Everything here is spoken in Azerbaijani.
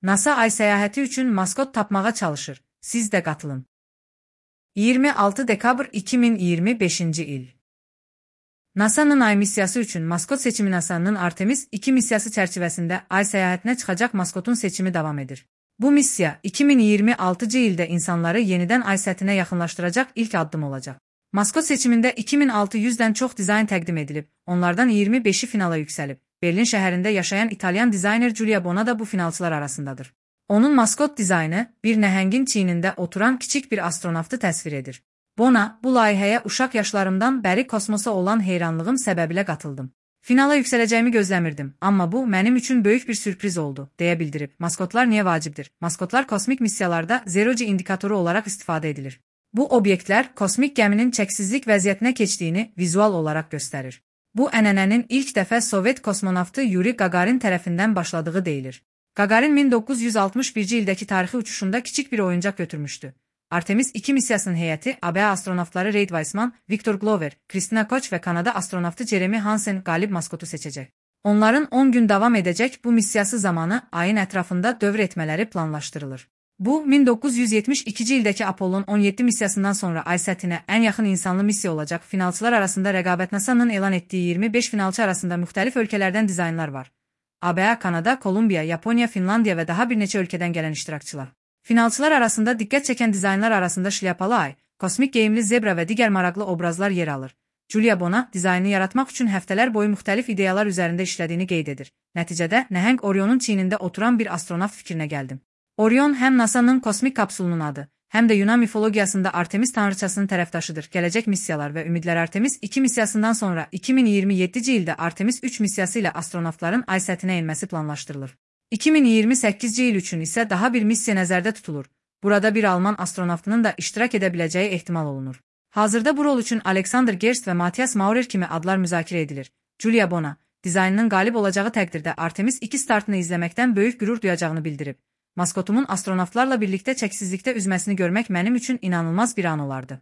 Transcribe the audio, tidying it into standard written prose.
NASA ay səyahəti üçün maskot tapmağa çalışır. Siz də qatılın. 26 dekabr 2025-ci il. NASA'nın ay missiyası üçün maskot seçimi. NASA'nın Artemis 2 missiyası çərçivəsində ay səyahətinə çıxacaq maskotun seçimi davam edir. Bu missiya 2026-cı ildə insanları yenidən ay səthinə yaxınlaşdıracaq ilk addım olacaq. Maskot seçimində 2600-dən çox dizayn təqdim edilib, onlardan 25-i finala yüksəlib. Berlin şəhərində yaşayan İtalyan dizayner Giulia Bona da bu finalçılar arasındadır. Onun maskot dizaynı bir nəhəngin çiynində oturan kiçik bir astronavtı təsvir edir. Bona, bu layihəyə uşaq yaşlarımdan bəri kosmosa olan heyranlığım səbəbilə qatıldım. Finala yüksələcəyimi gözləmirdim, amma bu mənim üçün böyük bir sürpriz oldu, deyə bildirib. Maskotlar niyə vacibdir? Maskotlar kosmik missiyalarda zero-G indikatoru olaraq istifadə edilir. Bu obyektlər kosmik gəminin çəksizlik vəziyyətinə keçdiyini vizual olaraq göstərir. Bu ənənənin ilk dəfə Sovet kosmonavtı Yuri Gagarin tərəfindən başladığı deyilir. Gagarin 1961-ci ildəki tarixi uçuşunda kiçik bir oyuncaq götürmüşdü. Artemis 2 missiyasının heyəti ABA astronavtları Reid Weissman, Victor Glover, Kristina Koch və Kanada astronavtı Jeremy Hansen qalib maskotu seçəcək. Onların 10 gün davam edəcək bu missiyası zamanı ayın ətrafında dövr etmələri planlaşdırılır. Bu, 1972-ci ildəki Apollon 17 missiyasından sonra ay səthinə ən yaxın insanlı missiya olacaq. Finalçılar arasında rəqabət. NASA'nın elan etdiyi 25 finalçı arasında müxtəlif ölkələrdən dizaynlar var. ABA, Kanada, Kolumbiya, Yaponiya, Finlandiya və daha bir neçə ölkədən gələn iştirakçılar. Finalçılar arasında diqqət çəkən dizaynlar arasında şlyapalı ay, kosmik geyimli zebra və digər maraqlı obrazlar yer alır. Giulia Bona dizaynını yaratmaq üçün həftələr boyu müxtəlif ideyalar üzərində işlədiyini qeyd edir. Nəticədə nəhəng Orion'un çiynində oturan bir astronavt fikrinə gəldim. Orion həm NASA'nın kosmik kapsulunun adı, həm də Yunan mifologiyasında Artemis tanrıçasının tərəfdaşıdır. Gələcək missiyalar və ümidlər. Artemis 2 missiyasından sonra 2027-ci ildə Artemis 3 missiyası ilə astronavtların ay səthinə enməsi planlaşdırılır. 2028-ci il üçün isə daha bir missiya nəzərdə tutulur. Burada bir Alman astronavtının da iştirak edə biləcəyi ehtimal olunur. Hazırda bu rol üçün Alexander Gerst və Matthias Maurer kimi adlar müzakirə edilir. Giulia Bona, dizaynının qalib olacağı təqdirdə Artemis 2 startını izləməkdən böyük qürur duyacağını bildirib. Maskotumun astronavtlarla birlikdə çəksizlikdə üzməsini görmək mənim üçün inanılmaz bir an olardı.